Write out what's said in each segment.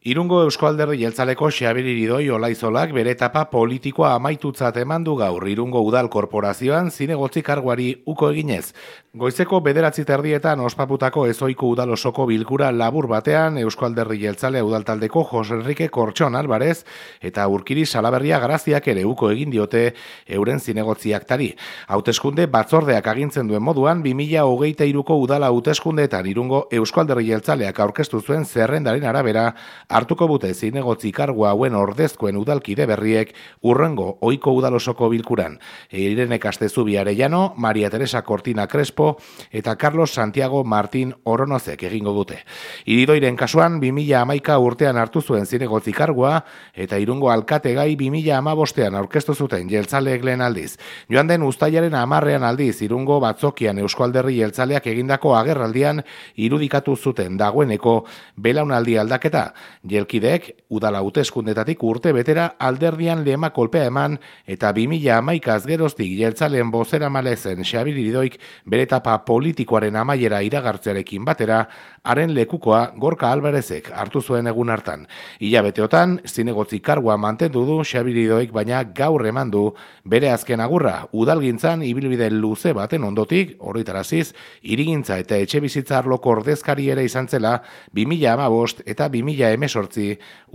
Irungo Eusko Alderdi Jeltzaleko Xabir Iridoi Olaizolak bere etapa politikoa amaitutzat eman du gaur Irungo Udal Korporazioan zinegotzi karguari uko eginez. Goizeko 9:30 ospatutako ezoiko udal osoko bilkura labur batean Eusko Alderdi Jeltzalea udaltaldeko Jose Enrique Kortxon Alvarez eta Urkiri Salaberria Garaziak ere uko egin diote euren zinegotziak tari. Hauteskunde batzordeak agintzen duen moduan 2023ko udala hauteskundeetan Irungo Eusko Alderdi Jeltzaleak aurkeztu zuen zerrendaren arabera hartuko bute zinegotzi kargua hauen ordezkoen udalkide berriek urrengo ohiko udalosoko bilkuran. Irene Castezubi Arellano, Maria Teresa Cortina Crespo eta Carlos Santiago Martín Oronozek egingo dute. Iridoiren kasuan 2011 urtean hartu zuen zinegotzi kargua eta Irungo alkategai 2015ean aurkeztu zuten jeltzaleek lehen aldiz. Joan den uztailaren 10ean aldiz Irungo batzokian Eusko Alderdi Jeltzaleak egindako agerraldian irudikatu zuten dagoeneko belaunaldi aldaketa. Jelkideek udala hauteskundetatik urte betera alderdian lema kolpea eman eta 2011 geroztik jeltzaleen bozeramale zen Xabir Iridoik bere etapa politikoaren amaiera iragartzearekin batera haren lekukoa Gorka Alvarezek hartu zuen egun hartan. Hilabeteotan zinegotzi kargua mantendu du Xabir Iridoik, baina gaur eman du bere azken agurra udalgintzan ibilbide luze baten ondotik horretaraziz hirigintza eta etxebizitza arloko ordezkari ere izan zela 2015 eta 2018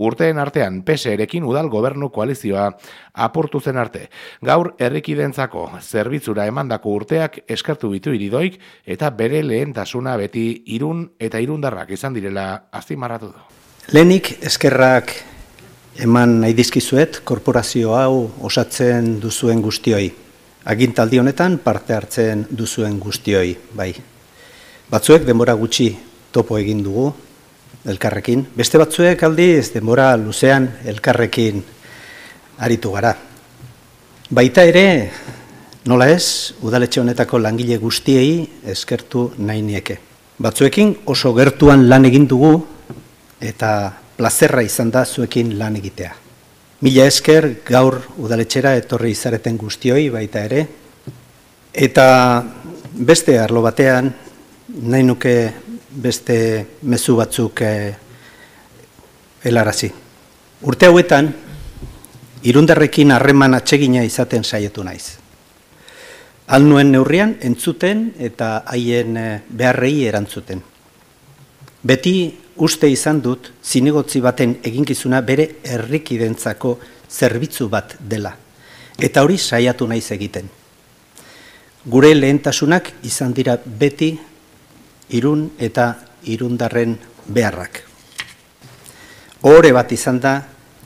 urteen artean PSE-rekin udal gobernu koalizioa apurtu zen arte. Gaur herrikidentzako zerbitzura emandako urteak eskertu bitu Iridoik eta bere lehentasuna beti Irun eta irundarrak izan direla azpimarratu du. Lehenik eskerrak eman nahi dizkizuet korporazio hau osatzen duzuen guztioi. Agintaldi honetan parte hartzen duzuen guztioi, bai. Batzuek denbora gutxi topo egin dugu elkarrekin, beste batzuek aldiz denbora luzean elkarrekin aritu gara. Baita ere, nola ez, udaletxe honetako langile guztiei eskertu nahi nieke. Batzuekin oso gertuan lan egin dugu eta plazerra izan da zuekin lan egitea. Mila esker gaur udaletxera etorri izareten guztioi baita ere. Eta beste arlo batean, nahi nuke beste mezu batzuk helarazi. Urte hauetan, irundarrekin harreman atsegina izaten saiatu naiz. Alnuen neurrian entzuten eta haien beharrei erantzuten. Beti uste izan dut zinegotzi baten eginkizuna bere herrikidentzako zerbitzu bat dela. Eta hori saiatu naiz egiten. Gure lehentasunak izan dira beti Irun eta irundarren beharrak. Ohore bat izan da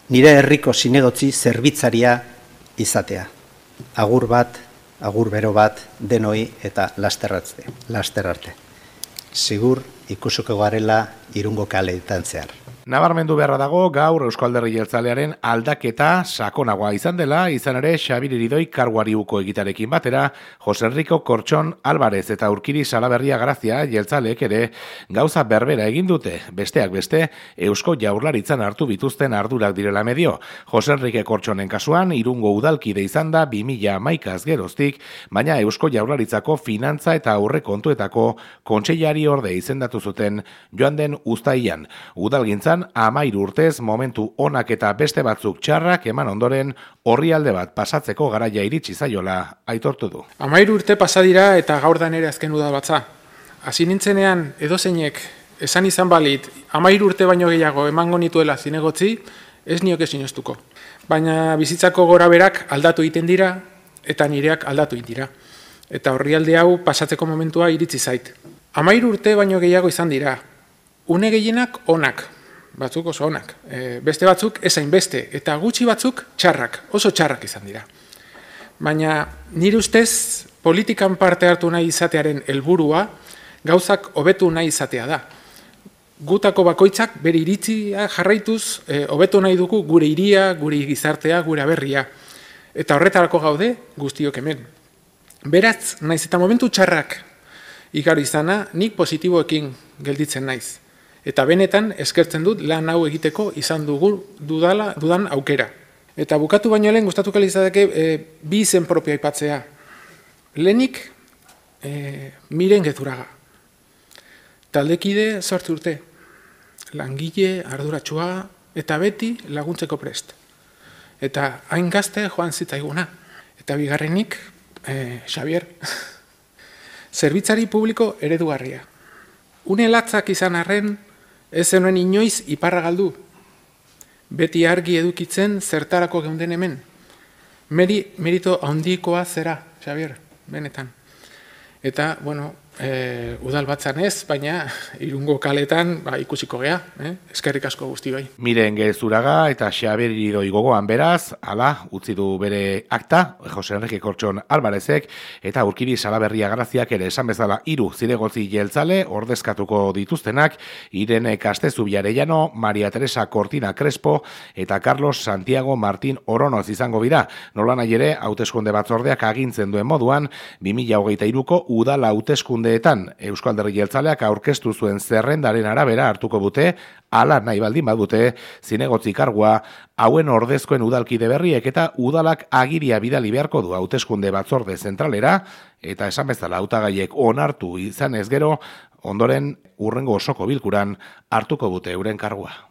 nire herriko zinegotzi zerbitzaria izatea. Agur bat, agur bero bat, denoi eta laster arte. Sigur ikusuko garela Irungo kaleetan zehar. Nabarmendu beharra dago gaur Eusko Alderdi Jeltzalearen aldaketa sakonagoa izan dela, izan ere Xabir Iridoi karguari uko egitarekin batera, Jose Enrique Kortxon Alvarez eta Urkiri Salaberria Grazia jeltzaleek ere gauza berbera egin dute, besteak beste Eusko Jaurlaritzan hartu bituzten ardurak direla medio. Jose Enrique Kortxonen kasuan Irungo udalkide izan da 2011 geroztik, baina Eusko Jaurlaritzako finantza eta aurrekontuetako kontseilari orde izendatu zuten joan den uztailean. Udalgintzan 13 urtez momentu onak eta beste batzuk txarrak eman ondoren orrialde bat pasatzeko garaia iritsi zaiola aitortu du. 13 urte pasa dira eta gaur da nere azken udalbatza. Hasi nintzenean edozeinek esan izan balit 13 urte baino gehiago emango nituela zinegotzi, ez nioke sinestuko. Baina bizitzako goraberak aldatu egiten dira eta nireak aldatu egiten dira. Eta orrialde hau pasatzeko momentua iritsi zait. 13 urte baino gehiago izan dira. Une gehienak onak. Batzuk oso onak, beste batzuk ezain beste, eta gutxi batzuk txarrak, oso txarrak izan dira. Baina nire ustez politikan parte hartu nahi izatearen helburua gauzak hobetu nahi izatea da. Gutako bakoitzak bere iritzia jarraituz hobetu nahi dugu gure hiria, gure gizartea, gure aberria. Eta horretarako gaude guztiok hemen. Beraz, naiz eta momentu txarrak igaro izana, nik positiboekin gelditzen naiz. Eta benetan eskertzen dut lan hau egiteko izan dudan aukera. Eta bukatu baino lehen gustatuko litzateke bi izen propio aipatzea. Lehenik Miren Gezurraga. Taldekide 8 urte. Langile, arduratsua, eta beti laguntzeko prest. Eta hain gazte joan zitzaiguna. Eta bigarrenik, Xavier, zerbitzari publiko eredugarria. Une latzak izan arren, ez zenuen inoiz iparra galdu. Beti argi edukitzen zertarako geunden hemen. Merito handikoa zera, Xavier, benetan. Eta, bueno, udal batzan ez, baina Irungo kaletan ikusiko gea, eskerrik asko guztioi. Miren Gezuraga eta Xabier Iridoi gogoan beraz, hala, utzi du bere akta, Jose Enrique Kortxon Alvarezek, eta Urkiri Salaberria Garaziak ere esan bezala 3 zinegotzi jeltzale ordezkatuko dituztenak, Irene Castezubi Arellano, Maria Teresa Cortina Crespo, eta Carlos Santiago Martín Oronoz izango bira. Nolanahi ere, hauteskunde batzordeak agintzen duen moduan, 2023ko udala hauteskundeetan Eusko Alderdi Jeltzaleak aurkeztu zuen zerrendaren arabera hartuko dute, hala nahi baldin badute, zinegotzi kargua hauen ordezkoen udalkide berriek eta udalak agiria bidali beharko du hauteskunde batzorde zentralera, eta esan bezala hautagaiek onartu izan ez gero, ondoren hurrengo osoko bilkuran hartuko dute euren kargua.